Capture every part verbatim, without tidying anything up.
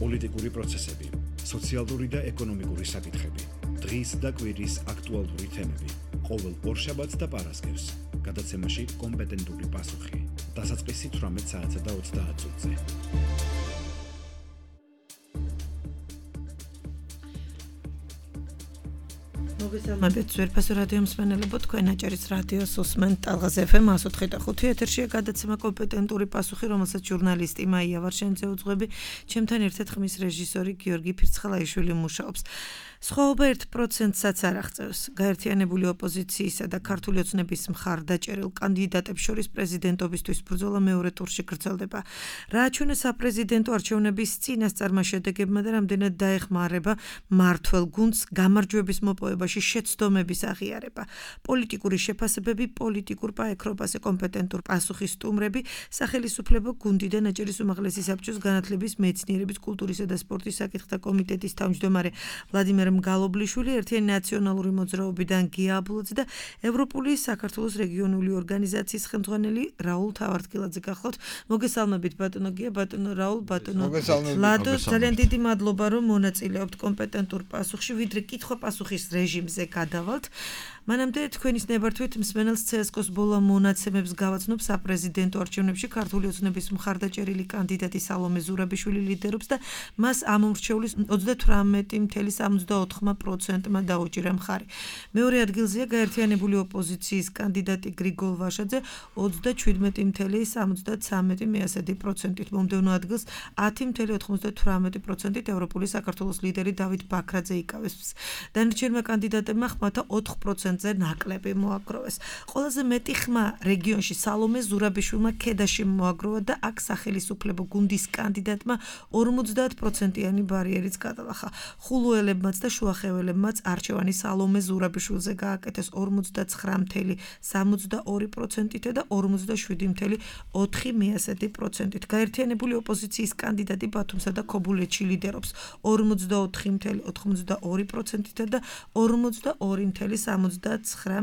პოლიტიკური პროცესები, სოციალური და ეკონომიკური საკითხები, დღის და კვირის აქტუალური თემები, ყოველ ორშაბათს და პარასკევს, გადაცემაში კომპეტენტური პასუხი, დასაწყისი თვრამეტ საათსა და ოცდაათ წუთზე. მოგესალმებით ძვირფასო რადიო მსმენელებო, თქვენ აჭარის რადიოს უსმენთ ტალღაზ ეფ ემ εκατო ოთხი და ხუთი ეთერშია გადაცემა კომპეტენტური პასუხი, რომელსაც ჟურნალისტი მაია ვარშენიძე უძღვები, ჩემთან ერთად ხმის რეჟისორი გიორგი ფირცხალაიშვილი მუშაობს. სხვაობა ერთ პროცენტსაც არ აღწევს. გაერთიანებული ოპოზიციისა და ქართული ოცნების მხარდაჭერილ კანდიდატებს შორის პრეზიდენტობისთვის ბრძოლა მეორე ტურში გრძელდება. რა აჩვენა საპრეზიდენტო არჩევნების წინასწარმა შედეგებმა და რამდენად დაეხმარება მმართველ გუნდს გამარჯვების მოპოვებაში შეცდომების აღიარება. პოლიტიკური შეფასებები, პოლიტიკურ პაექრობაზე კომპეტენტურ პასუხის სტუმრები, სახელისუფლებო გუნდიდან აჭარის უმაღლესი საბჭოს განათლების, მეცნიერების, კულტურისა და სპორტის საკითხთა კომიტეტის თავმჯდომარე ვლადიმერ მგალობლიშვილი, ერთიანი ნაციონალური მოძრაობიდან გია აბულაძე და ევროპული საქართველოს რეგიონული ორგანიზაციის ხელმძღვანელი რაულ თავართკილაძე გახლავთ. მოგესალმებით ბატონო გია, ბატონო რაულ, ბატონო ლადო, ძალიან დიდი მადლობა რომ მონაწილეობთ კომპეტენტურ პასუხში, ვიდრე კითხვა-პასუხის რეჟიმზე გადავალთ. მანამდე თქვენის ნებართვით მსმენელს ცე ეს კოს ბოლა მონაცემებს გავაცნობ საპრეზიდენტო არჩევნებში ქართული ოცნების მხარდაჭერილი კანდიდატი სალომე ზურაბიშვილი ლიდერობს და მას ამომრჩევლის ოცდათვრამეტი целых ოცდაოთხ პროცენტმა დაუჭირა მხარი. მეორე ადგილზეა გაერთიანებული ოპოზიციის კანდიდატი გრიგოლ ვაშაძე ოცდაჩვიდმეტი целых სამოცდათვრამეტი პროცენტით. მომდევნო ადგილს ათი целых ოთხმოცდათვრამეტი პროცენტით ევროპული საქართველოს ლიდერი დავით ბაქრაძე იკავებს. დანარჩენმა კანდიდატებმა ხმათა ოთხ პროცენტზე ნაკლები მოაგროვეს. ყველაზე მეტი ხმა რეგიონში სალომე ზურაბიშვილმა ქედაში მოაგროვა და აქ სახელისუფლებო გუნდის კანდიდატმა ორმოცდაათ პროცენტიანი ბარიერიც გადალახა. ხულუელებმაც და შუახეველებმაც არჩევანი სალომე ზურაბიშვილზე გააკეთეს ორმოცდაცხრა целых სამოცდაორი პროცენტით და ორმოცდაშვიდი целых ოთხი პროცენტით. გაერთიანებული ოპოზიციის კანდიდატი ბათუმსა და ქობულეთში ლიდერობს ორმოცდაოთხი целых ოთხმოცდაორი პროცენტით და ორმოცდაორი целых სამოცდაცხრა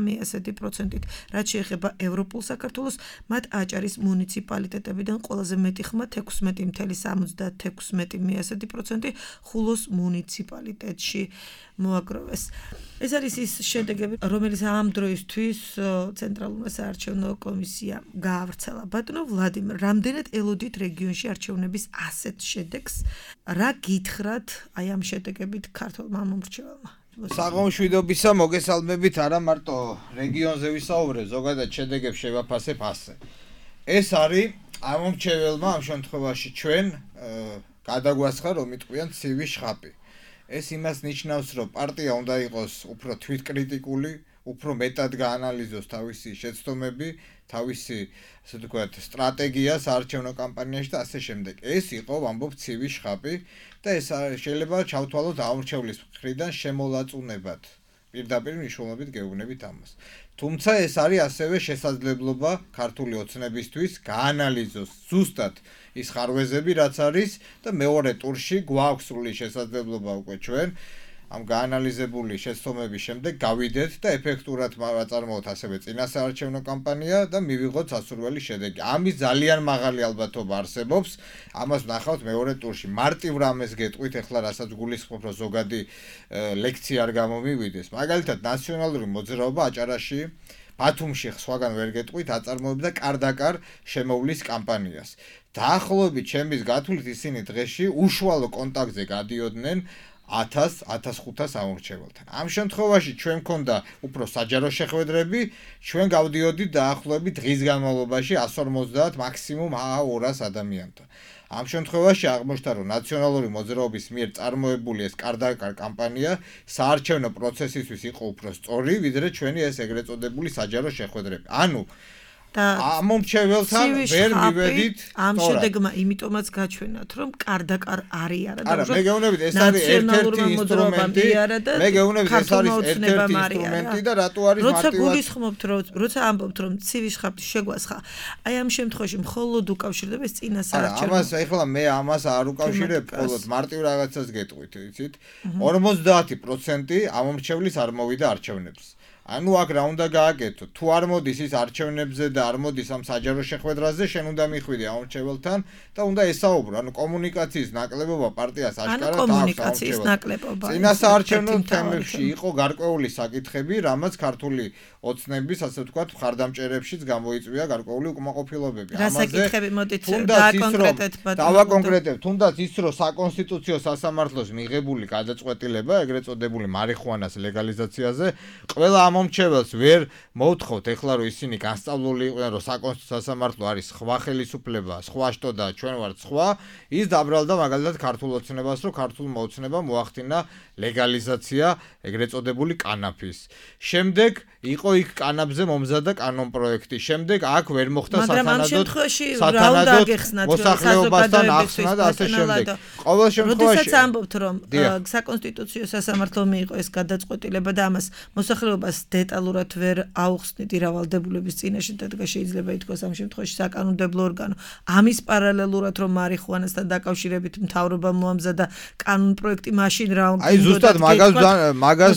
პროცენტით. რაც შეეხება ევროპულ საქართველოს, მათ აჭარის მუნიციპალიტეტებიდან ყველაზე მეტი ხმა ექვსმეტი целых სამოცდათექვსმეტი პროცენტი ხულოს მუნიციპალიტეტში მოაგროვეს. ეს არის ის შედეგები, რომელიც ამ დროისთვის ცენტრალურმა საარჩევნო კომისიამ გაავრცელა. ბატონო ვლადიმერ, რამდენად ელოდით რეგიონში არჩევნების ასეთ შედეგს? რა გითხრათ აი ამ შედეგებით ქართულმა მომრჩეველმა? საღამოშვიდობისა, მოგესალმებით, არა მარტო რეგიონზე ვისაუბრე, ზოგადად შედეგებს შევაფასებ ასე. ეს არის ამომრჩეველმა ამ შემთხვევაში ჩვენ გადაგვასხა, რომ იტყვიან ცივი შხაპი. ეს იმას ნიშნავს, რომ პარტია უნდა იყოს უფრო თვითკრიტიკული, უფრო მეტად გაანალიზოს თავისი შეცდომები, თავისი, ასე ვთქვათ, სტრატეგია საარჩევნო კამპანიაში და ასე შემდეგ. ეს იყო, ვამბობ, ცივი შხაპი და ეს შეიძლება ჩავთვალოთ ამომრჩევლის მხრიდან შემოლაწუნებად. პირდაპირ მნიშვნელობით გეუბნებით ამას. თუმცა ეს არის ასევე შესაძლებლობა ქართული ოცნებისთვის გაანალიზოს ზუსტად ის ხარვეზები, რაც არის და მეორე ტურში გვაქვს სრული შესაძლებლობა უკვე ჩვენ ამ გაანალიზებული შეცდომების შემდეგ გავიდეთ და ეფექტურად ვაწარმოოთ ასევე წინასაარჩევნო კამპანია და მივიღოთ სასურველი შედეგი. ამის ძალიან მაღალი ალბათობა არსებობს. ამას ვნახავთ მეორე ტურში. მარტივ რამეს გეტყვით, ახლა რასაც გულისხმობ, რომ ზოგადი ლექცია არ გამომივიდეს. მაგალითად, ნაციონალური მოძრაობა აჭარაში, ბათუმში სხვაგან ვერ გეტყვით, აწარმოებდა კარდაკარ შემოვლის კამპანიას. დაახლოებით ჩემის გათვლით ისინი დღეში უშუალო კონტაქტზე გადიოდნენ ათას ათასხუთას ამომრჩეველთან. ამ შემთხვევაში ჩვენ მქონდა უფრო საჯარო შეხვედრები, ჩვენ გავდიოდით დაახლოებით დღის განმავლობაში εκατს ორმოცდაათ მაქსიმუმ ორას ადამიანთან. ამ შემთხვევაში აღმოჩნდა, რომ ნაციონალური მოძრაობის მიერ წარმოებული ეს კარდაკარ კამპანია საარჩევნო პროცესისთვის იყო უფრო სწორი, ვიდრე ჩვენი ეს ეგრეთ წოდებული საჯარო შეხვედრები. ანუ ამომრჩეველთან ვერ მივედით ამ შედეგმა იმიტომაც გაჩვენათ, რომ კარდაკარ არის არა და არა, მე გეუბნებით, ეს არის ერთ-ერთი ინსტრუმენტი. მე გეუბნებით, ეს არის ერთ-ერთი ინსტრუმენტი და რატო არის მარტივად როცა გულისხმობთ, როცა ამბობთ, რომ ცივი შხაპი შეგვასხა, აი ამ შემთხვევაში მხოლოდ უკავშირდება ეს წინასაარჩევნო. ამას ეხლა მე ამას არ უკავშირებ, მხოლოდ მარტივ რაღაცას გეტყვით, იცით? ორმოცდაათი პროცენტი ამომრჩევლის არ მოვიდა არჩევნებს. ანუ აქ რა უნდა გააკეთო? თუ არ მოდის ის არჩევნებზე და არ მოდის ამ საჯარო შეხვედრაზე, შენ უნდა მიხვიდე ამორჩეველთან და უნდა ესაუბრო. ანუ კომუნიკაციის ნაკლებობა პარტიას აშკარად აქვს. ანუ კომუნიკაციის ნაკლებობა. წინასაარჩევნო თემებში იყო გარკვეული საკითხები, რამაც ქართული ოცნების, ასე ვთქვათ, მხარდამჭერებშიც გამოიწვია გარკვეული უკმაყოფილებები. რა საკითხები მოდით დააკონკრეტეთ ბატონო? დავაკონკრეტებთ, თუნდაც ის რომ საკონსტიტუციო სასამართლოს მიღებული გადაწყვეტილება, ეგრეთ წოდებული მარიხუანას ლეგალიზაციაზე, ყველა ამომრჩეველს ვერ მოუთხოვთ ეხლა რომ ისინი განსწავლული იყვნენ რომ საკონსტიტუციო სასამართლო არის სხვა ხელისუფლება, სხვა შტო და ჩვენ ვართ სხვა, ის დაბრალდა მაგალითად ქართულ ოცნებას, რომ ქართულმა ოცნებამ მოახდინა ლეგალიზაცია ეგრეთ წოდებული კანაფის. შემდეგ იყო იქ კანაფზე მომზადა კანონპროექტი. შემდეგ აქ ვერ მოხდა სათანადოდ სათანადოდ მოსახლეობასთან ახსნა და ასე შემდეგ. ყოველ შემთხვევაში როდესაც ამბობთ რომ საკონსტიტუციო სასამართლო მიიღო ეს გადაწყვეტილება და ამას მოსახლეობას დეტალურად ვერ აუხსნით ირავალდებულების წინაშე და შეიძლება ითქვას ამ შემთხვევაში საკანონმდებლო ორგანო ამის პარალელურად რომ მარიხუანასთან დაკავშირებით მთავრობა მოამზადა კანონპროექტი მაშინ რა უნდა აი ზუსტად მაგას მაგას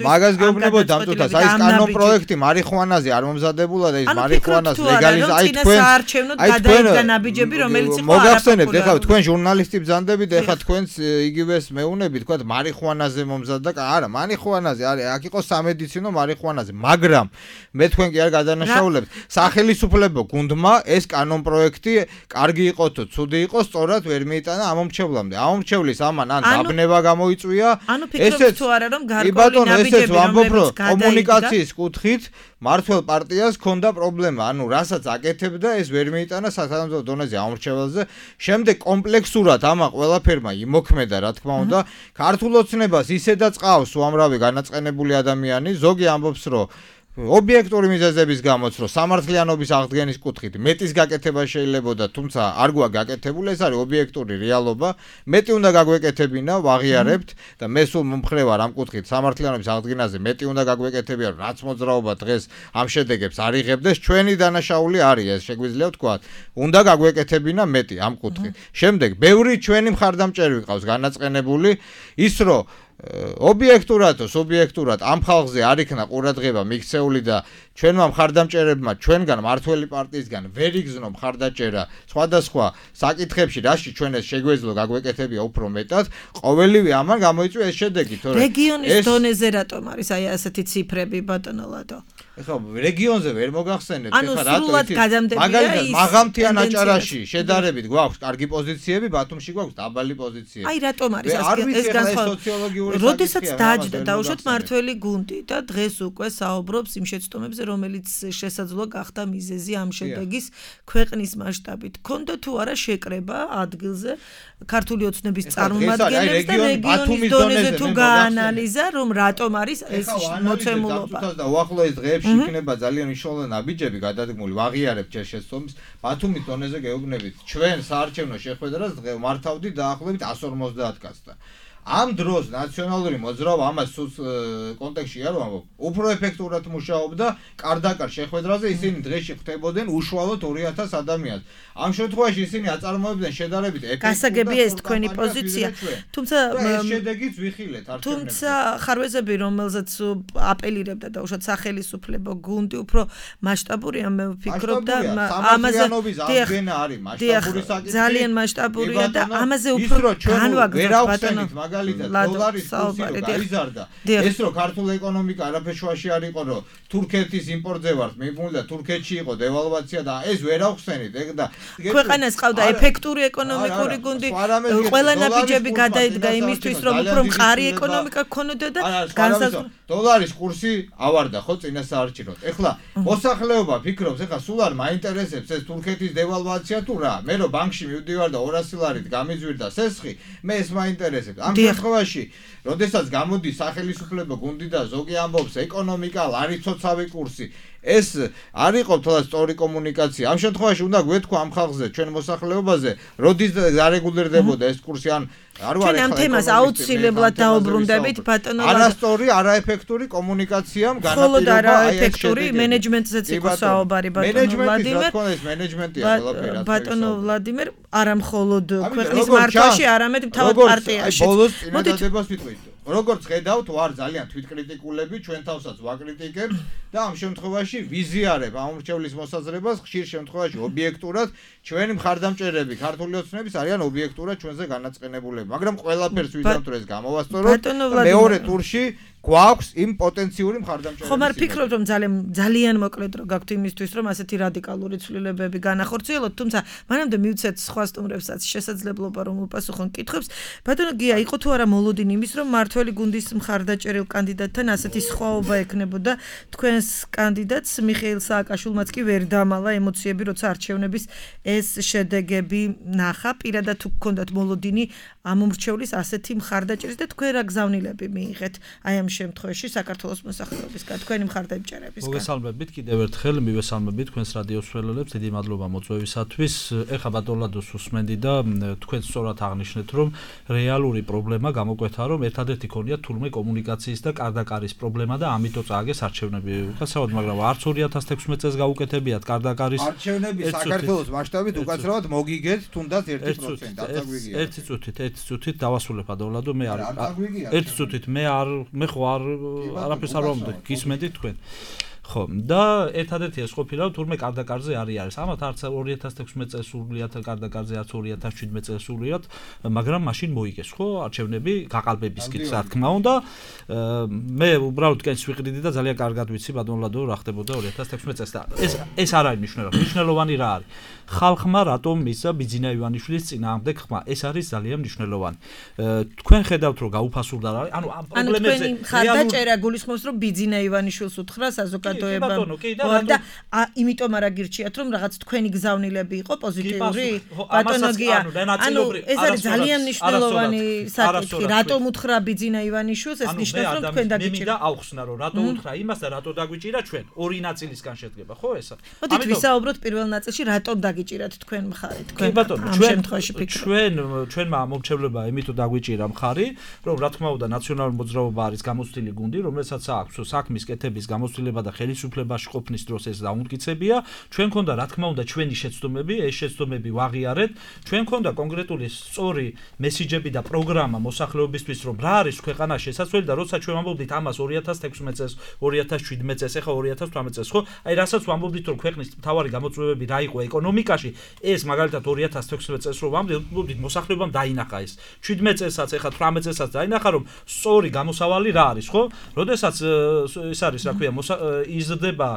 მაგას გეუბნებოდი ამ წუთას აი ეს კანონპროექტი მარიხუანაზე არ მომზადებულა და ის მარიხუანას ლეგალიზაცია აი თქვენ აი თქვენ ნაბიჯები რომელიც იყო მოგახსენებთ ეხლა თქვენ ჟურნალისტი ბრძანდებით ეხლა თქვენს იგივეს მეუნები თქვა მარიხუანაზე მომზადდა არა მარიხუანაზე არის აქ იყო სამედიცინო მარიხუანაზე მაგრამ მე თქვენ კი არ გადანაშაულებთ სახელისუფლებო გუნდმა ეს კანონპროექტი კარგი იყო თუ ცუდი იყო სწორად ვერ მიიტანა ამომრჩევლამდე ამომრჩევლის ამან ან დაბნება გამოიწვია ესეც თუ არა რომ გარკვეული ნაბიჯები რომელიც კომუნიკაციის კუთხით მართლ პარტიას ჰქონდა პრობლემა ანუ რასაც აკეთებდა ეს ვერ მიიტანა სახელმწიფო დონეზე ამორჩეველზე შემდეგ კომპლექსურად ამა ყველაფერმა იმოქმედა რა თქმა უნდა ქართულ ოცნებას ისედაც ყავს უამრავი განაწყენებული ადამიანი ზოგი ამბობს რომ ობიექტური მიზეზების გამოც რომ სამართლიანობის აღდგენის კუთხით მეტის გაკეთება შეიძლებოდა თუმცა არ გვაქვს გაკეთებული ეს არის ობიექტური რეალობა მეტი უნდა გაგვეკეთებინა ვაღიარებთ და მე სულ მომხრე ვარ ამ კუთხით სამართლიანობის აღდგენაზე მეტი უნდა გაგვეკეთებინა რაც მოძრაობა დღეს ამ შედეგებს არ იღებდეს ჩვენი დანაშაული არის ეს შეგვიძლია ვთქვა უნდა გაგვეკეთებინა მეტი ამ კუთხით შემდეგ ბევრი ჩვენი მხარდამჭერი ვიყავს განაწყენებული ის რომ ობიექტურად თუ სუბიექტურად ამ ხალხზე არ იქნა ყურადღება მიქცეული და ჩვენმა მხარდამჭერებმა ჩვენგან მართველი პარტიისგან ვერ იგზნო მხარდაჭერა სხვადასხვა საკითხებში რაში ჩვენ ეს შეგვეძლო გაგვეკეთებია უფრო მეტად ყოველივე ამან გამოიწვია ეს შედეგი თორე რეგიონის დონეზე რატომ არის აი ასეთი ციფრები ბატონო ლადო ეხლა რეგიონზე ვერ მოგახსენებთ ეხლა რატო იცი მაგალითად მაღალმთიან აჭარაში შედარებით გვაქვს კარგი პოზიციები ბათუმში გვაქვს დაბალი პოზიციები აი რატომ არის ეს განსხვავება როდესაც დაჯდა დაუშვათ მართველი გუნდი და დღეს უკვე საუბრობს იმ შეცდომებზე რომელიც შესაძლოა გახდა მიზეზი ამ შედეგის ქვეყნის მასშტაბით ქონდა თუ არა შეკრება ადგილზე ქართული ოცნების წარმომადგენლებს და რეგიონის დონეზე თუ გაანალიზა რომ რატომ არის ეს მოცემულობა და უახლოეს დღეებში იქნება ძალიან მნიშვნელოვანი ნაბიჯები გადადგმული ვაღიარებთ ეს შეცდომის ბათუმის დონეზე გეუბნებით ჩვენ საარჩევნო შეხვედრას დღე მართავდით დაახლოებით εκατს ორმოცდაათ კაცთან ამ დროს ნაციონალური მოძრაობა ამას კონტექსტში არ ვამბობ უფრო ეფექტურად მუშაობდა კარდაკარ შეხვედრაზე ისინი დღეში ხვდებოდნენ უშუალოდ ორი ათას ადამიანს ამ შემთხვევაში ისინი აწარმოებდნენ შედარებით ეფექტურად გასაგებია ეს თქვენი პოზიცია თუმცა ეს შედეგიც ვიხილეთ არჩევნებზე თუმცა ხარვეზები რომელზეც აპელირებდა და უშოთ სახელისუფლებო გუნდი უფრო მასშტაბურია მე ვფიქრობ და ამაზე მასშტაბური საკითხი ძალიან მასშტაბურია და ამაზე უფრო განვაგრძობ ბატონო მაგალითად დოლარის კურსი გაიზარდა ეს რომ ქართულ ეკონომიკა არაფერ შუაში არ იყო რომ თურქეთის იმპორტზე ვართ მიბმული და თურქეთში იყო დევალვაცია და ეს ვერ ახსენით ეგ და ქვეყანას ყავდა ეფექტური ეკონომიკური გუნდი ყველა ნაბიჯები გადაიდგა იმისთვის რომ უფრო მყარი ეკონომიკა ქონოდა და განსაზღვრა დოლარის კურსი ავარდა ხო წინასაარჩევნოდ ეხლა მოსახლეობა ფიქრობს ეხლა სულ არ მაინტერესებს ეს თურქეთის დევალვაცია თუ რა მე რომ ბანკში მივდივარ და ორასი ლარით გამიზვირდა სესხი მე ეს მაინტერესებს ამ შემთხვევაში როდესაც გამოდის სახელისუფლებო გუნდი და ზოგი ამბობს ეკონომიკა არის ცოცავი კურსი ეს არ იყო თვალს სწორი კომუნიკაცია ამ შემთხვევაში უნდა გვეთქვა ამ ხალხზე ჩვენ მოსახლეობაზე როდის დარეგულირდებოდა ეს კურსი ან არ ვარ ახლა ამ თემას აუცილებლად დაუბრუნდებით ბატონო არასწორი არაეფექტური კომუნიკაციამ განაპირობა აი არაეფექტური მენეჯმენტზეც იყო საუბარი ბატონო ვლადიმერ მენეჯმენტია ყველაფერი ბატონო ვლადიმერ არა მხოლოდ ქვეყნის მართვაში არამედ თავად პარტიაში ბოლოს წინადადებას ვიტყვით როგორც ხედავთ, ვარ ძალიან თვითკრიტიკულები, ჩვენ თავსაც ვაკრიტიკებთ და ამ შემთხვევაში ვიზიარებ ამ მრჩევლის მოსაზრებას, ხშირ შემთხვევაში ობიექტურად ჩვენი მხარდამჭერები, ქართული ოცნების არიან ობიექტურად ჩვენზე განაწყენებულები, მაგრამ ყველაფერს ვიზამთ რომ ეს გამოვასწოროთ და მეორე ტურში გვაქვს იმ პოტენციური მხარდამჭერების. ხომ არ ფიქრობთ რომ ძალიან ძალიან მოკლედ რო გაქვთ იმისთვის რომ ასეთი რადიკალური ცვლილებები განახორციელოთ, თუმცა მანამდე მივცეთ სხვა სტუმრებსაც შესაძლებლობა რომ უპასუხონ კითხვებს. ბატონო გია, იყო თუ არა მოლოდინი იმის რომ მართველი გუნდის მხარდაჭერილ კანდიდატთან ასეთი სხვაობა ექნებოდა თქვენს კანდიდატს მიხეილ სააკაშვილმაც კი ვერ დამალა ემოციები როცა არჩევნების ეს შედეგები ნახა, პირადად თუ გქონდათ მოლოდინი ამ მომრჩევლის ასეთი მხარდაჭერის და თქვენ რა გზავნილები მიიღეთ აი ამ შემთხვევაში საქართველოს მოსახლეობისგან თქვენი მხარდამჭერებისგან. მოგესალმებით კიდევ ერთხელ, მივესალმებით თქვენს რადიოს მსმენელებს, დიდი მადლობა მოწვევისათვის. ეხლა ბატონ ლადოს უსმენდი და თქვენ სწორად აღნიშნეთ, რომ რეალური პრობლემა გამოკვეთა, რომ ერთადერთი ქონია თურმე კომუნიკაციის და კარდაკარის პრობლემა და ამიტომ წააგეს არჩევნები. უკაცრავად, მაგრამ არც ორი ათას თექვსმეტ წელს გაუკეთებიათ კარდაკარის არჩევნები საქართველოს მასშტაბით უკაცრავად მოგიგეთ თუნდაც ერთი პროცენტი დაწაგვიგია. ერთი წუთით, ერთი წუთით დავასრულებ ბატონ ლადო, მე არ ერთი წუთით მე არ მე ხო არ არაფერს არ ვამბობ, გისმენთ თქვენ. ხო, და ერთადერთი ეს ყოფილა თურმე კარდაკარზე არის არის. ამათ არც ორი ათას თექვსმეტ წელს სრულიად კარდაკარზე, არც ორი ათას შვიდმეტ წელს სრულიად, მაგრამ მაშინ მოიგეს, ხო, არჩევნები გაყალბებისკენ, რა თქმა უნდა. მე უბრალოდ კენს ვიყრიდი და ძალიან კარგად ვიცი ბატონ ლადო რა ხდებოდა ორი ათას თექვსმეტ წელს და ეს ეს არ არის მნიშვნელოვანი. მნიშვნელოვანი რა არის? ხალხმა რატომ მისცა ბიძინა ივანიშვილის წინააღმდეგ ხმა? ეს არის ძალიან მნიშვნელოვანი. თქვენ ხედავთ რომ გაუფასურდა რა, ანუ ამ პრობლემებზე მხარდაჭერა გულისხმობს რომ ბიძინა ივანიშვილს უთხრა საზოგადოებამ და იმიტომ არა გირჩიათ რომ რაღაც თქვენი გზავნილები იყო პოზიტიური? ბატონო გია, ანუ ეს არის ძალიან მნიშვნელოვანი საკითხი. რატომ უთხრა ბიძინა ივანიშვილს? ეს ნიშნავს რომ თქვენ დაგიჭირეთ. მე მინდა ავხსნა რომ რატო უთხრა იმას და რატო დაგვიჭირა ჩვენ? ორი ნაწილისგან შედგება, ხო ესა? მოდით ვისაუბროთ პირველ ნაწილში რატომ დაგიჭირათ თქვენ მხარი, თქვენ ამ შემთხვევაში ფიქრობთ. ჩვენ ჩვენმა მომრჩევლება იმით დაგვიჭირა მხარი, რომ რა თქმა უნდა ნაციონალური მოძრაობა არის გამოცდილი გუნდი, რომელსაც აქვს საქმის კეთების გამოცდილება და ხელისუფლებაში ყოფნის დროს ეს დაუნდკიცებია. ჩვენ ქონდა რა თქმა უნდა ჩვენი შეცდომები, ეს შეცდომები ვაღიარეთ. ჩვენ ქონდა კონკრეტული სწორი მესიჯები და პროგრამა მოსახლეობისთვის, რომ რა არის ქვეყანაში შესაძლებელი და როცა ჩვენ ვამბობდით ამას ორი ათას თექვსმეტ წელს, ორი ათას შვიდმეტ წელს, ეხლა ორი ათას თვრამეტ წელს, ხო? აი რასაც ვამბობდით რომ ქვეყნის მთავარი გამოწვევები რა იყო ეკონომიკაში, ეს მაგალითად ორი ათას თექვსმეტ წელს რომ ვამბობდით მოსახლეობამ დაინახა ეს. შვიდმეტ წელსაც, ეხლა თვრამეტ წელსაც დაინახა რომ სწორი გამოსავალი რა არის, ხო? როდესაც ეს არის რა ქვია, იზრდება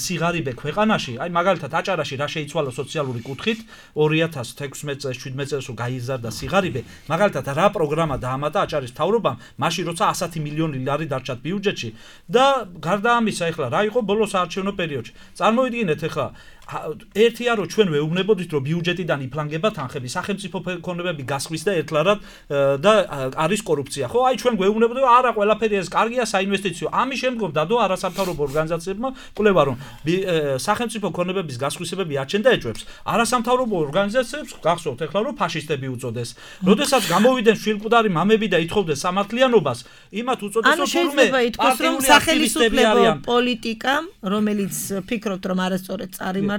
სიღარიბე ქვეყანაში, აი მაგალითად აჭარაში რა შეიცვალა სოციალური კუთხით ორი ათას თექვსმეტ წელს, შვიდმეტ წელს რომ გაიზარდა სიღარიბე, მაგალითად რა პროგრამა დაამატა აჭარის მთავრობამ, მაშინ როცა ასი მილიონი ლარი დარჩათ ბიუჯეტში და გარდა ამისა ეხლა რა იყო ბოლოს საარჩევნო პერიოდში. წარმოვიდგინეთ ეხლა ერთია რომ ჩვენ ვეუბნებოდით რომ ბიუჯეტიდან იფლანგება თანხები, სახელმწიფო ფონდები გასხვის და ერთლარად და არის კორუფცია. ხო, აი ჩვენ გვეუბნებოდით რომ არა, ყველაფერი ეს კარგია საინვესტიციო. ამის შემდგომ დადო არასამთავრობო ორგანიზაციებმა კვლევა რომ სახელმწიფო ფონდების გასხვისებები აჩენდა ეჭვებს. არასამთავრობო ორგანიზაციებს გახსოვთ ეხლა რომ ფაშისტები უწოდეს. როდესაც გამოვიდნენ შვილკვდარი მამები და ითხოვდნენ სამართლიანობას, იმათ უწოდეს რომ შეიძლება ითქვას რომ სახელმწიფო პოლიტიკამ, რომელიც ფიქრობთ რომ არასწორად წარიმართა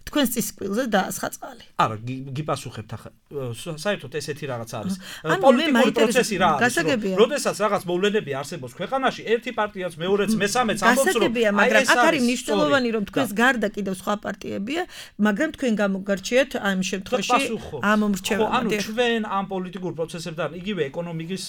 თქვენს წისკვილზე დაასხა წყალი. არა, გიპასუხებთ ახლა. საერთოდ ესეთი რაღაც არის. პოლიტიკური პროცესი რა არის? როდესაც რაღაც მოვლენები არსებობს ქვეყანაში, ერთი პარტიაც მეორეც მესამეც ამბობს რომ გასაგებია, მაგრამ აქ არის მნიშვნელოვანი რომ თქვენს გარდა კიდევ სხვა პარტიებია, მაგრამ თქვენ გამოგარჩიეთ ამ შემთხვევაში ამ მომრჩეველად. ანუ ჩვენ ამ პოლიტიკურ პროცესებთან, იგივე ეკონომიკის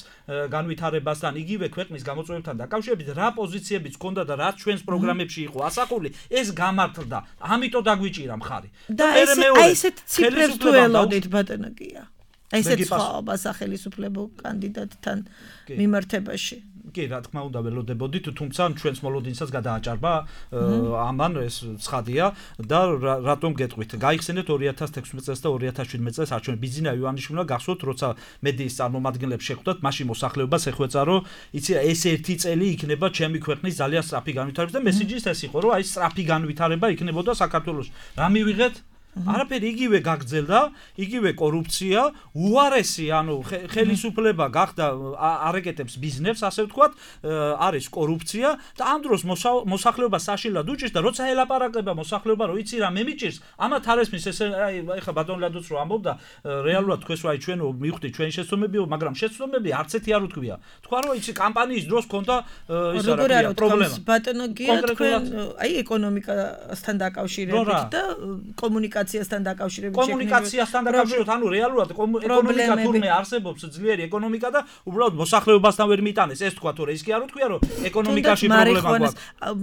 განვითარებასთან, იგივე ქვეყნის გამოწვევებთან დაკავშირებით რა პოზიციებიც ჰქონდა და რაც ჩვენს პროგრამებში იყო ასახული, ეს გამართლდა. ამიტომ დაგვიჭირა მხარი. და აი ესეთ ციფრებს თუ ელოდით ბატონო გია. აი ესეთ სხვაობა სახელმწიფო კანდიდატთან მიმართებაში. კი, რა თქმა უნდა ველოდებოდით, თუმცა ჩვენს მოლოდინსაც გადააჭარბა ამან ეს ცხადია და რატომ გეტყვით? გაიხსენეთ ორი ათას თექვსმეტ წელს და ორი ათას შვიდმეტ წელს არჩევნები. ბიძინა ივანიშვილმა გახსოვთ, როცა მედიის წარმომადგენლებს შეხვდათ, მაშინ მოსახლეობას ეხვეწა, რომ იცი ეს ერთი წელი იქნება ჩემი ქვეყნის ძალიან სწრაფი განვითარება და მესიჯის ეს იყო, რომ აი სწრაფი განვითარება იქნებოდა საქართველოში. რა მივიღეთ? არაფერი იგივე გაგრძელდა, იგივე კორუფცია, უარესი, ანუ ხელისუფლება გახდა არეკეტებს ბიზნესს, ასე ვთქვათ, არის კორუფცია და ამ დროს მოსახლეობა საშინლად უჭირს და როცა ელაპარაკება მოსახლეობა, რომ იცი რა მე მიჭირს, ამათ არ ესმის ეს ეხა ბატონ ლადოც რო ამბობდა, რეალურად თქვენს რა ჩვენ მივხვდი ჩვენი შეცდომებიო, მაგრამ შეცდომები არც ერთი არ უთქვია. თქვა რომ იცი კამპანიის დროს ქონდა ის რა ქვია პრობლემა. ბატონო გია თქვენ აი ეკონომიკასთან დაკავშირებით და კომუნიკაციასთან დაკავშირებით კომუნიკაციასთან დაკავშირებით, ანუ რეალურად ეკონომიკა თურმე არსებობს ძლიერი ეკონომიკა და უბრალოდ მოსახლეობასთან ვერ მიტანეს. ეს თქვა თორე ის კი არ უთქვია რომ ეკონომიკაში პრობლემა გვაქვს.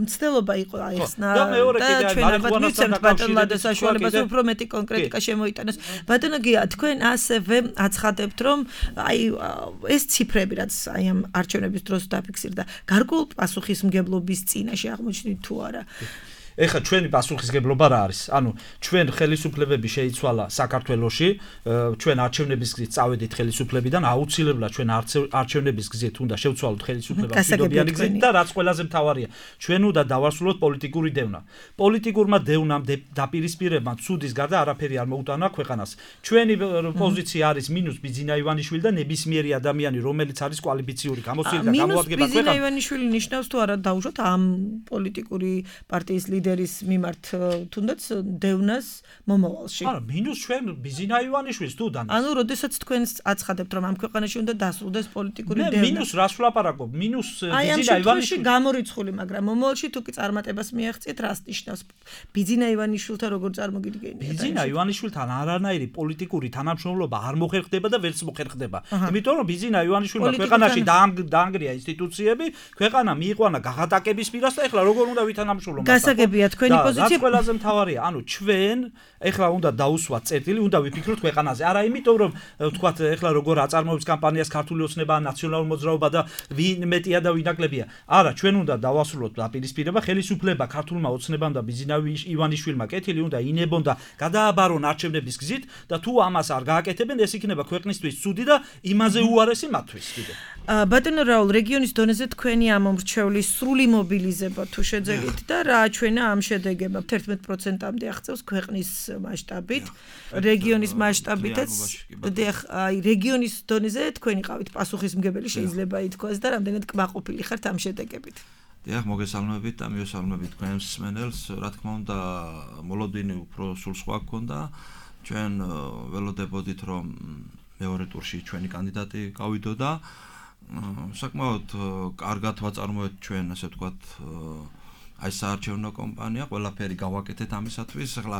მცდელობა იყო აიხსნა და მეორე კიდე მარიხუანასთან დაკავშირებით საშუალებას უფრო მეტი კონკრეტიკა შემოიტანოს. ბატონო გია თქვენ ასევე აცხადებთ რომ აი ეს ციფრები რაც აი ამ არჩევნების დროს დაფიქსირდა გარკვეულ პასუხისმგებლობის წინაშე აღმოჩნდით თუ არა? ეხლა ჩვენი პასუხისმგებლობა რა არის? ანუ ჩვენ ხელისუფლებები შეიცვალა საქართველოში, ჩვენ არჩევნების გზით წავედით ხელისუფლებიდან, აუცილებლად ჩვენ არჩევნების გზით უნდა შევცვალოთ ხელისუფლებას მშვიდობიანი გზით და რაც ყველაზე მთავარია, ჩვენ უნდა დავასრულოთ პოლიტიკური დევნა. პოლიტიკურმა დევნამ დაპირისპირებამ ცუდის გარდა არაფერი არ მოუტანა ქვეყანას. ჩვენი პოზიცია არის მინუს ბიძინა ივანიშვილი და ნებისმიერი ადამიანი, რომელიც არის კვალიფიციური გამოცდილი და გამოადგება ქვეყანას. ბიძინა ივანიშვილი ნიშნავს თუ არა დაუშვათ ამ პოლიტიკური პარტიის ლიდერის მიმართ თუნდაც დევნას მომავალში. არა, მინუს ჩვენ ბიძინა ივანიშვილს თუ დანას. ანუ როდესაც თქვენ აცხადებთ რომ ამ ქვეყანაში უნდა დასრულდეს პოლიტიკური დევნა. მე მინუს რას ვლაპარაკობ? მინუს ბიძინა ივანიშვილი გამორიცხული, მაგრამ მომავალში თუ კი წარმატებას მიაღწიეთ, რას ნიშნავს? ბიძინა ივანიშვილთან როგორ წარმოგიდგენიათ? ბიძინა ივანიშვილთან არანაირი პოლიტიკური თანამშრომლობა არ მოხერხდება და ვერც მოხერხდება. იმიტომ რომ ბიძინა ივანიშვილმა ქვეყანაში დაანგრია ინსტიტუციები, ქვეყანა მიიყვანა გაღატაკების პირას და ეხლა როგორ უნდა ვითანამშრომლოთ? გასაგებია თქვენი პოზიცია. რაც ყველაზე მთავარია, ანუ ჩვენ ეხლა უნდა დაუსვათ წერტილი, უნდა ვიფიქროთ ქვეყანაზე. არა იმიტომ რომ ვთქვათ ეხლა როგორ აწარმოებს კამპანიას ქართული ოცნება, ნაციონალური მოძრაობა და ვინ მეტია და ვინ ნაკლებია. არა, ჩვენ უნდა დავასრულოთ დაპირისპირება, ხელისუფლება ქართულმა ოცნებამ და ბიძინა ივანიშვილმა კეთილი უნდა ინებონ და გადააბარონ არჩევნების გზით და თუ ამას არ გააკეთებენ, ეს იქნება ქვეყნისთვის ცუდი და იმაზე უარესი მათთვის. ბატონო რაულ, რეგიონის დონეზე თქვენი ამომრჩევლის სრული მობილიზება თუ შეძეგით და რა ჩვენა ამ შედეგებმა თერთმეტ პროცენტამდე აღწევს ქვეყნის მასშტაბით, რეგიონის მასშტაბითაც, აი რეგიონის დონეზე თქვენი ყავით პასუხისმგებელი შეიძლება ითქვას და რამდენად კმაყოფილი ხართ ამ შედეგებით. დიახ, მოგესალმებით და მიესალმებით თქვენს მსმენელს. რა თქმა უნდა, მოლოდინი უფრო სულ სხვა გქონდა. ჩვენ ველოდებოდით რომ მეორე ტურში ჩვენი კანდიდატი გავიდოდა. საკმაოდ კარგად ვაწარმოეთ ჩვენ, ასე ვთქვათ, აი საარჩევნო კამპანია, ყველაფერი გავაკეთეთ ამისათვის. ახლა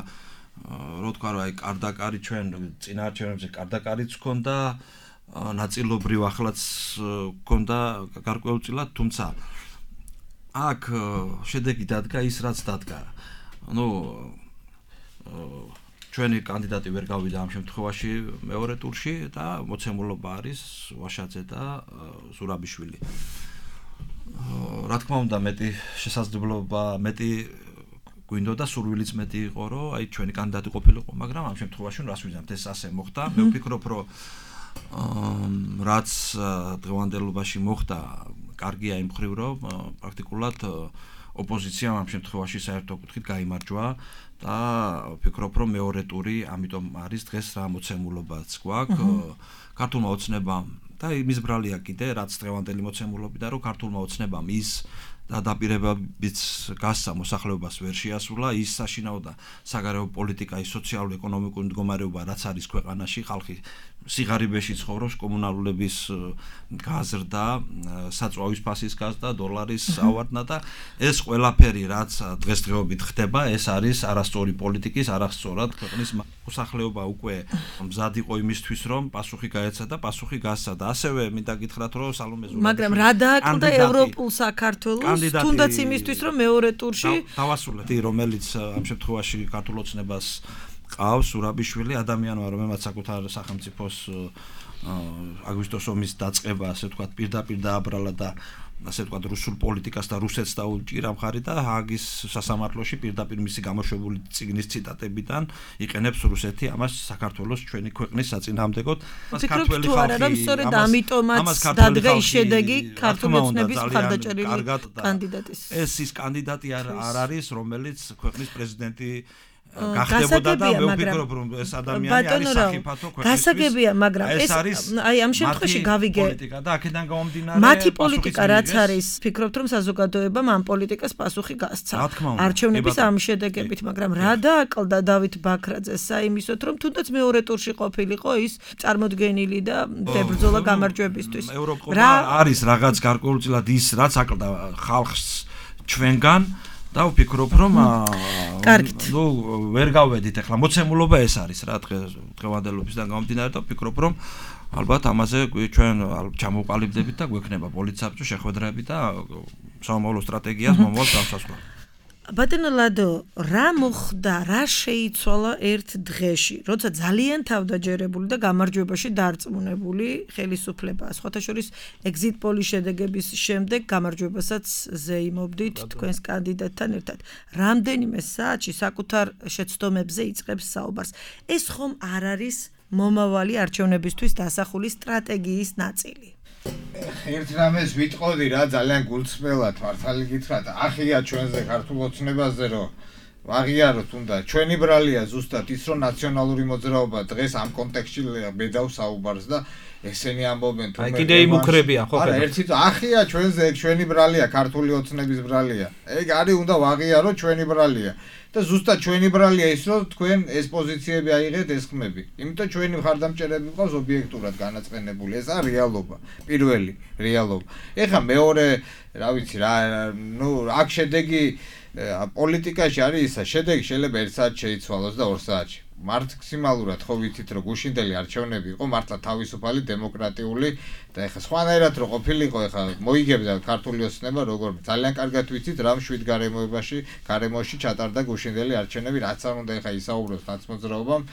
რო თქვა რომ აი კარდაკარი ჩვენ წინა არჩევნებზე კარდაკარიც ჰქონდა, ნაწილობრივ ახლაც ჰქონდა გარკვეულწილად, თუმცა აქ შედეგი დადგა ის რაც დადგა. ნუ ჩვენი კანდიდატი ვერ გავიდა ამ შემთხვევაში მეორე ტურში და მოცემულობა არის ვაშაძე და ზურაბიშვილი. რა თქმა უნდა, მეტი შესაძლებლობა, მეტი გვინდოდა, სურვილიც მეტი იყო, რომ აი ჩვენი კანდიდატი ყოფილიყო, მაგრამ ამ შემთხვევაში რას ვიზამთ, ეს ასე მოხდა. მე ვფიქრობ, რომ რაც დღევანდელობაში მოხდა, კარგია იმ მხრივ, რომ პრაქტიკულად ოპოზიციამ ამ შემთხვევაში საერთო კუთხით გაიმარჯვა და ვფიქრობ, რომ მეორე ტური ამიტომ არის დღეს რა მოცემულობაც გვაქვს ქართულმა ოცნებამ და იმის ბრალია კიდე რაც დღევანდელი მოცემულობიდან რომ ქართულმა ოცნებამ ის და დაპირებებიც გასცა მოსახლეობას ვერ შეასრულა ის საშინაო და საგარეო პოლიტიკა, ის სოციალურ-ეკონომიკური მდგომარეობა რაც არის ქვეყანაში, ხალხი სიღარიბეში ცხოვრობს, კომუნალურების გაზრდა, საწვავის ფასის გაზრდა, დოლარის ავარდნა და ეს ყველაფერი რაც დღესდღეობით ხდება, ეს არის არასწორი პოლიტიკის, არასწორად ქვეყნის მოსახლეობა უკვე მზად იყო იმისთვის, რომ პასუხი გაეცა და პასუხი გასცა და ასევე მინდა გითხრათ, რომ სალომე ზურაბიშვილი მაგრამ რა დააკლდა ევროპულ საქართველოს თუნდაც იმისთვის, რომ მეორე ტურში დავასრულეთ, რომელიც ამ შემთხვევაში ქართულ ოცნებას ყავს ზურაბიშვილი, ადამიანი ვარ, რომელმაც საკუთარ სახელმწიფოს აგვისტოს ომის დაწყება, ასე ვთქვათ, პირდაპირ დააბრალა და ასე ვთქვათ, რუსულ პოლიტიკას და რუსეთს დაუჭირა მხარი და ჰააგის სასამართლოში პირდაპირ მისი გამოშვებული წიგნის ციტატებიდან იყენებს რუსეთი ამას საქართველოს ჩვენი ქვეყნის საწინააღმდეგოდ. ქართველი ხალხი რომ სწორედ ამიტომაც დადგა ის შედეგი ქართული ოცნების მხარდაჭერილი კანდიდატის. ეს ის კანდიდატი არ არის, რომელიც ქვეყნის პრეზიდენტი გახდებოდა და მე ვფიქრობ რომ ეს ადამიანი არის საფათო ქვეყნისთვის. გასაგებია, მაგრამ ეს აი ამ შემთხვევაში გავიგე პოლიტიკა და აქედან გამომდინარე მათი პოლიტიკა რაც არის, ფიქრობთ რომ საზოგადოებამ ამ პოლიტიკას პასუხი გასცა არჩევნების ამ შედეგებით, მაგრამ რა დააკლდა დავით ბაქრაძეს საიმისოთ რომ თუნდაც მეორე ტურში ყოფილიყო ის წარმოდგენილი და ბრძოლა გამარჯვებისთვის. რა არის რაღაც გარკვეულწილად ის რაც აკლდა ხალხს ჩვენგან და ვფიქრობ რომ ნუ ვერ გავვედით ახლა მოცემულობა ეს არის რა დღევანდელობისგან გამომდინარე და ვფიქრობ რომ ალბათ ამაზე ჩვენ ჩამოვყალიბდებით და გვექნება პოლიცსაბჭო შეხვედრები და სამომავლო სტრატეგიას მომავალ განსაზღვრა. ბატონო ლადო, რა მოხდა, რა შეიცვალა ერთ დღეში, როცა ძალიან თავდაჯერებული და გამარჯვებაში დარწმუნებული ხელისუფლება, სხვათა შორის exit poll-ის შედეგების შემდეგ გამარჯვებასაც ზეიმობდით თქვენს კანდიდატთან ერთად. რამდენიმე საათში საკუთარ შეცდომებზე იწყებს საუბარს. ეს ხომ არ არის მომავალი არჩევნებისთვის დასახული სტრატეგიის ნაწილი? ერთ რამეს ვიტყოდი რა ძალიან გულწრფელად მართალი გითხრათ ახია ჩვენზე ქართულ ოცნებაზე რომ ვაღიაროთ უნდა ჩვენი ბრალია ზუსტად ის რომ ნაციონალური მოძრაობა დღეს ამ კონტექსტში ბედავს საუბარს და ესენი ამბობენ თუ აი კიდე იმუქრებიან ხო არა ერთი ახია ჩვენზე ეგ ჩვენი ბრალია ქართული ოცნების ბრალია ეგ არის უნდა ვაღიაროთ ჩვენი ბრალია და ზუსტად ჩვენი ბრალია ის რომ თქვენ ეს პოზიციები აიღეთ ეს ხმები იმიტომ ჩვენი მხარდამჭერები ყავს ობიექტურად განაწყენებული ეს არის რეალობა პირველი რეალობა ეხლა მეორე რა ვიცი რა ნუ აქ შედეგი პოლიტიკაში არის ისა შედეგი შეიძლება ერთ საათში შეიცვალოს და ორ საათში მაქსიმალურად ხო ვიცით რომ გუშინდელი არჩევნები იყო მართლა თავისუფალი დემოკრატიული და ეხლა სხვანაირად რო ყოფილიყო ეხლა მოიგებდა ქართული ოცნება როგორ ძალიან კარგად ვიცით რა მშვიდ გარემოებაში გარემოში ჩატარდა გუშინდელი არჩევნები რაც არ უნდა ეხლა ისაუბროს ნაცმოძრაობამ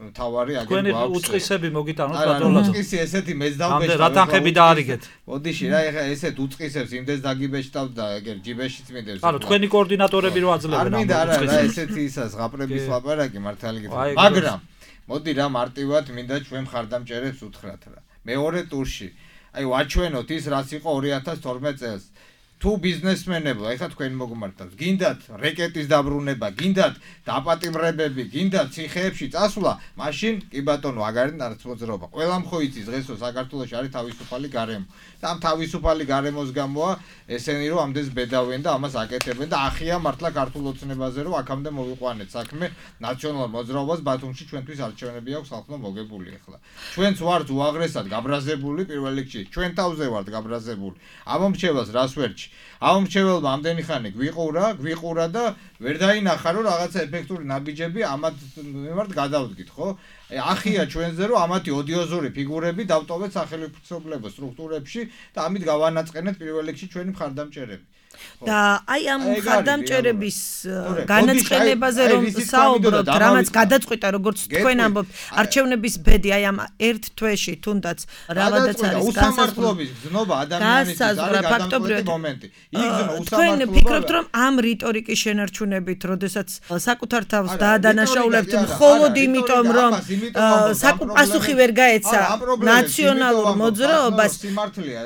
თავარი აგენ გვაქვს თქვენი უწყისები მოგიტანოთ ბატონო უწყისი ესეთი მეც დავბეჭდა რა თანხები დაარიგეთ მოდიში რა ეხლა ესეთ უწყისებს იმდეს დაგიბეჭდავ და ეგერ ჯიბეშიც მინდებს ანუ თქვენი კოორდინატორები რო აძლევენ არ მინდა არა რა ესეთი ისა ზღაპრების ლაპარაკი მართალი გითხრა მაგრამ მოდი რა მარტივად მინდა ჩვენ მხარდამჭერებს უთხრათ რა მეორე ტურში აი ვაჩვენოთ ის რაც იყო ორი ათას თორმეტ წელს თუ ბიზნესმენებო ეხლა თქვენ მოგმართავს გინდათ რეკეტის დაბრუნება გინდათ დაპატიმრებები გინდათ ციხეებში წასვლა მაშინ კი ბატონო აგარი ნაცმოძრაობა ყველა მხოიცის დღესო საქართველოში არის თავისუფალი გარემო და ამ თავისუფალი გარემოს გამოა ესენი რომ ამდენს ბედავენ და ამას აკეთებენ და ახია მართლა ქართულ ოცნებაზე რომ აქამდე მოვიყვანეთ საქმე ნაციონალურ მოძრაობას ბათუმში ჩვენთვის არჩევნები აქვს ხალხმა მოგებული ეხლა ჩვენც ვართ უაღრესად გაბრაზებული პირველ რიგში ჩვენ თავზე ვართ გაბრაზებული ამომრჩევას რას ვერჩი ამომრჩეველმა ამდენი ხანი გვიყურა გვიყურა და ვერ დაინახა რომ რაღაცა ეფექტური ნაბიჯები ამათ მიმართ გადავდგით ხო ახია ჩვენზე რომ ამათი ოდიოზური ფიგურები დავტოვეთ სახელმწიფო სტრუქტურებში და ამით გავანაწყენეთ პირველ რიგში ჩვენი მხარდამჭერები და აი ამ მხარდამჭერების განაწყენებაზე რომ საუბრობთ, რამაც გადაწყვიტა როგორც თქვენ ამბობთ, არჩევნების ბედი აი ამ ერთ თვეში თუნდაც რაღაცა არის განსაზღვრების გზნობა ადამიანის არის ფაქტობრივად მომენტი. იგზნო უსამართლობა. თქვენ ფიქრობთ რომ ამ რიტორიკის შენარჩუნებით, როდესაც საკუთარ თავს დაადანაშაულებთ მხოლოდ იმიტომ რომ პასუხი ვერ გაეცა ნაციონალურ მოძრაობას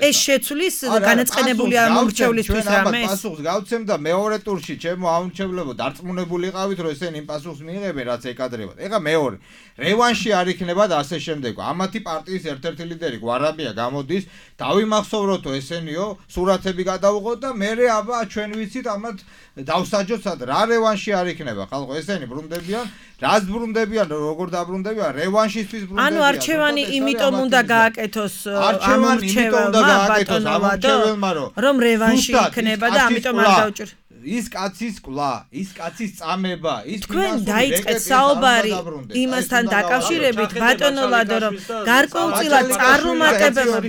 ეს შეცვლის განაწყენებული ამორჩევლისთვის რამე პასუხს გავცემ და მეორე ტურში ჩემო აუნჩევლებო დარწმუნებული იყავით რომ ესენი იმ პასუხს მიიღებენ რაც ეკადრებათ. ეხლა მეორე რევანში არ იქნება და ასე შემდეგ. ამათი პარტიის ერთ-ერთი ლიდერი გვარაბია გამოდის, დავიმახსოვროთო ესენიო, სურათები გადავუღოთ და მე აბა ჩვენ ვიცით ამათ დავსაჯოთ სად რა რევანში არ იქნება. ხალხო ესენი ბრუნდებიან, რას ბრუნდებიან, როგორ დაბრუნდებიან, რევანშისთვის ბრუნდებიან. ანუ არჩევანი იმიტომ უნდა გააკეთოს ამორჩეველმა ბატონოვადო, რომ რევანში იქნება და ამიტომ არ დავჭირ. ის კაცის კლა, ის კაცის წამება, ის თქვენ დაიწყეთ საუბარი იმასთან დაკავშირებით ბატონო ლადო რომ გარკვეულწილად წარუმატებელმა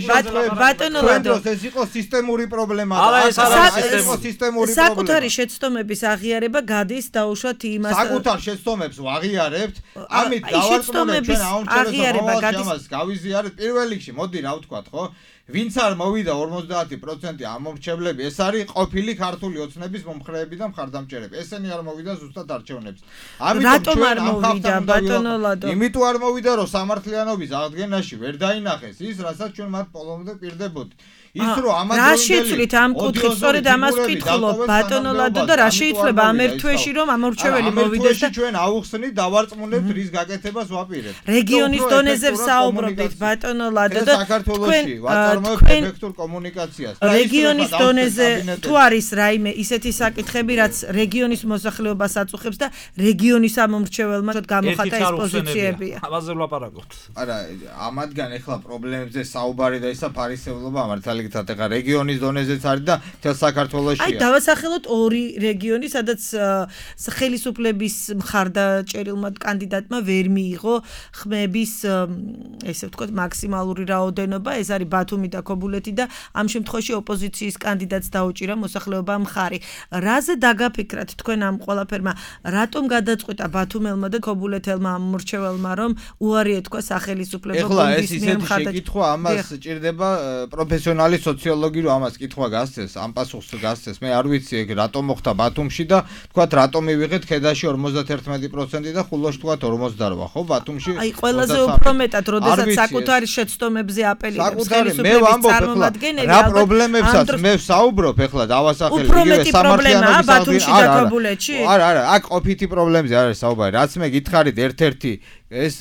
ბატონო ლადო ეს იყო სისტემური პრობლემა და ეს არის სისტემური პრობლემა. საკუთარი შეცდომების აღიარება გადის დაუშვათ იმას საკუთარ შეცდომებს ვაღიარებთ, ამით დავარწმუნებთ ჩვენ აუნჩერებს გავიზიარეთ პირველ რიგში, მოდი რა ვთქვათ, ხო? ვინც არ მოვიდა ორმოცდაათი პროცენტი ამორჩევლები, ეს არის ყოფილი ქართული ოცნების მომხრე მომხრეები და მხარდამჭერები. ესენი არ მოვიდა ზუსტად არჩევნებს. რატომ არ მოვიდა ბატონო ლადო? იმიტომ არ მოვიდა, რომ სამართლიანობის აღდგენაში ვერ დაინახეს ის, რასაც ჩვენ მათ პოლონზე პირდებოდით. ის რომ ამას რა შეცვლით ამ კუთხით, სწორედ ამას ვკითხულობ ბატონო ლადო და რა შეიცვლება ამ ერთ თვეში რომ ამორჩეველი მოვიდეს და ჩვენ ავუხსნით, დავარწმუნებთ რის გაკეთებას ვაპირებთ. რეგიონის დონეზე ვსაუბრობთ ბატონო ლადო და საქართველოში ვაწარმოებთ ეფექტურ კომუნიკაციას. რეგიონის დონეზე თუ არის რაიმე ისეთი საკითხები, რაც რეგიონის მოსახლეობას აწუხებს და რეგიონის ამომრჩეველმა გამოხატა ეს პოზიციებია. ამაზე ვლაპარაკობთ. არა, ამათგან ახლა პრობლემებზე საუბარი და ისა ფარისევლობა მართალი ეხლა რეგიონის დონეზეც არის და თელ საქართველოშია. აი დავასახელოთ ორი რეგიონი, სადაც ხელისუფლების მხარდაჭერილმა კანდიდატმა ვერ მიიღო ხმების ესე ვთქვათ მაქსიმალური რაოდენობა, ეს არის ბათუმი და ქობულეთი და ამ შემთხვევაში ოპოზიციის კანდიდატს დაუჭირა მოსახლეობამ მხარი. რაზე დაგაფიქრათ თქვენ ამ ყველაფერმა, რატომ გადაწყვიტა ბათუმელმა და ქობულეთელმა მრჩეველმა რომ უარი ეთქვა სახელისუფლებო გუნდის მიერ ეხლა მხარდაჭერა? ეს ისეთი შეკითხვა ამას ჭირდება პროფესიონალი სოციოლოგი რომ ამას კითხვა გასცეს, ამ პასუხს გასცეს. მე არ ვიცი ეგ რატომ მოხდა ბათუმში და თქვათ რატომ მივიღეთ ქედაში ორმოცდაერთმეტი პროცენტი და ხულოში თქვათ ორმოცდაოთხი, ხო, ბათუმში. აი ყველაზე უფრო მეტად, როდესაც საკუთარი შეცდომებზე აპელირებს ხელისუფლების წარმომადგენელი, რა პრობლემებსაც მე ვსაუბრობ ეხლა დავასახელე იგივე სამართლიანობის ბათუმში და ქობულეთში? არა, არა, აქ ყოფითი პრობლემებზე არ არის საუბარი. რაც მე გითხარით ერთ-ერთი ეს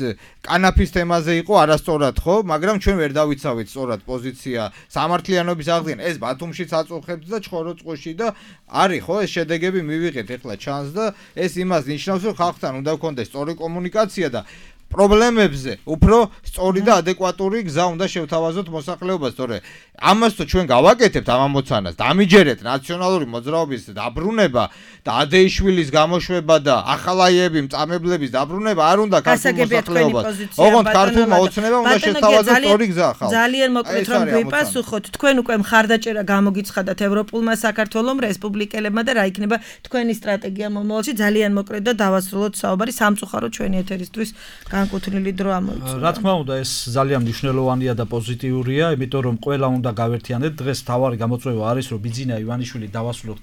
კანაფის თემაზე იყო არასწორად, ხო, მაგრამ ჩვენ ვერ დავიცავით სწორად პოზიცია სამართლიანობის აღდგენა. ეს ბათუმშიც აწუხებს და ჩხოროწყუში და არის, ხო, ეს შედეგები მივიღეთ ეხლა ჩანს და ეს იმას ნიშნავს, რომ ხალხთან უნდა გქონდეს სწორი კომუნიკაცია და პრობლემებზე უფრო სწორი და ადეკვატური გზა უნდა შევთავაზოთ მოსახლეობას, თორე ამას თუ ჩვენ გავაკეთებთ ამ ამოცანას, დამიჯერეთ ნაციონალური მოძრაობის დაბრუნება და ადეიშვილის გამოშვება და ახალაიები მწამებლების დაბრუნება არ უნდა ქართულ მოსახლეობას. ოღონდ ქართულმა ოცნებამ უნდა შევთავაზოს სწორი გზა ხალხს. ძალიან მოკლედ რომ გვიპასუხოთ, თქვენ უკვე მხარდაჭერა გამოგიცხადათ ევროპულმა საქართველომ, რესპუბლიკელებმა და რა იქნება თქვენი სტრატეგია მომავალში? ძალიან მოკლედ და დავასრულოთ საუბარი, სამწუხაროდ ჩვენი ეთერისთვის განკუთვნილი დრო ამოიწურა. რა თქმა უნდა, ეს ძალიან მნიშვნელოვანია და პოზიტიურია, იმიტომ რომ ყველა უნდა გავერთიანდეთ. დღეს თავარი გამოწვევა არის, რომ ბიძინა ივანიშვილი დავასრულოთ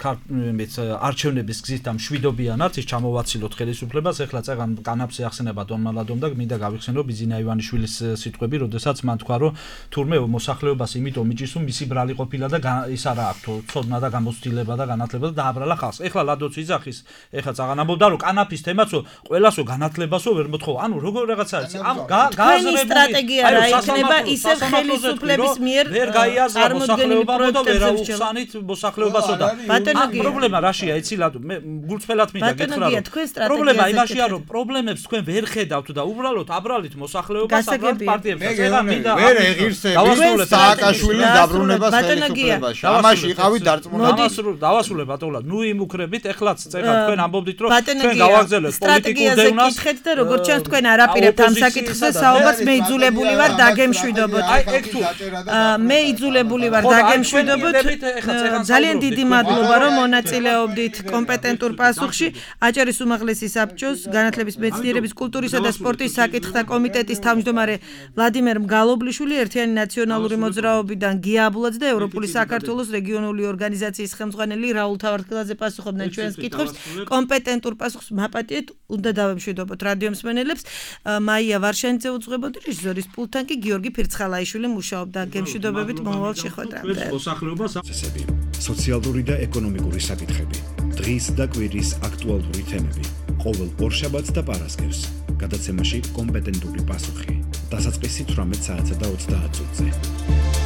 არჩევნების გზით და მშვიდობიანად ის ჩამოვაცილოთ ხელისუფლებას. ეხლა წეგან კანაფზე ახსენება დონმალადომ და მინდა გავიხსენო ბიძინა ივანიშვილის სიტყვები, როდესაც მან თქვა, რომ თურმე მოსახლეობას იმიტომ მიჭის, რომ მისი ბრალი ყოფილა და ის არა აქვს ცოდნა და გამოცდილება და განათლება და დააბრალა ხალხს. ეხლა ლადოც იძახის, ეხლა წაღან ამბობდა, რომ კანაფის თემაცო ყველასო განათლებასო ვერ მოთხოვა. ანუ როგორ რაღაცა არის ამ გაზრებული სტრატეგია რა იქნება ისევ ხელისუფლების მიერ ვერ გაიაზრა მოსახლეობა და ვერ აუხსანით მოსახლეობასო და პრობლემა რაშია იცი ლადო მე გულწრფელად მინდა გითხრა რომ პრობლემა იმაშია რომ პრობლემებს თქვენ ვერ ხედავთ და უბრალოდ აბრალით მოსახლეობას აბრალთ პარტიებს ეხლა მინდა ვერ ეღირსებით სააკაშვილის დაბრუნებას ხელისუფლებაში ამაში იყავით დარწმუნებული დავასრულე ბატონო ნუ იმუქრებით ეხლაც წერა თქვენ ამბობდით რომ თქვენ გავაგზავნეთ პოლიტიკურ დევნას კითხეთ და როგორც ჩანს თქვენ არაპირებთ ამ საკითხზე საუბარს მე იძულებული ვარ დაგემშვიდობოთ აი ეგ თუ მე იძულებული ვარ დაგემშვიდობოთ ძალიან დიდი მადლობა რომ მონაწილეობდით კომპეტენტურ პასუხში აჭარის უმაღლესი საბჭოს განათლების მეცნიერების კულტურისა და სპორტის საკითხთა კომიტეტის თავმჯდომარე ვლადიმერ მგალობლიშვილი ერთიანი ნაციონალური მოძრაობიდან გია აბულაძე და ევროპული საქართველოს რეგიონული ორგანიზაციის ხელმძღვანელი რაულ თავარქელაძე პასუხობდნენ ჩვენს კითხვებს კომპეტენტურ პასუხს მაპატიეთ უნდა დავემშვიდობოთ რადიო მსმენელებს მაია ვარშანიძე უძღვებოდი რეჟისორის პულტთან კი გიორგი ფირცხალაიშვილი მუშაობდა გემშვიდობებით მომავალ შეხვედრამდე წესები სოციალური და ეკონომიკური საკითხები დღის და კვირის აქტუალური თემები ყოველ ორშაბათს და პარასკევს გადაცემაში კომპეტენტური პასუხი დასაწყისი თვრამეტ საათსა და ოცდაათ წუთზე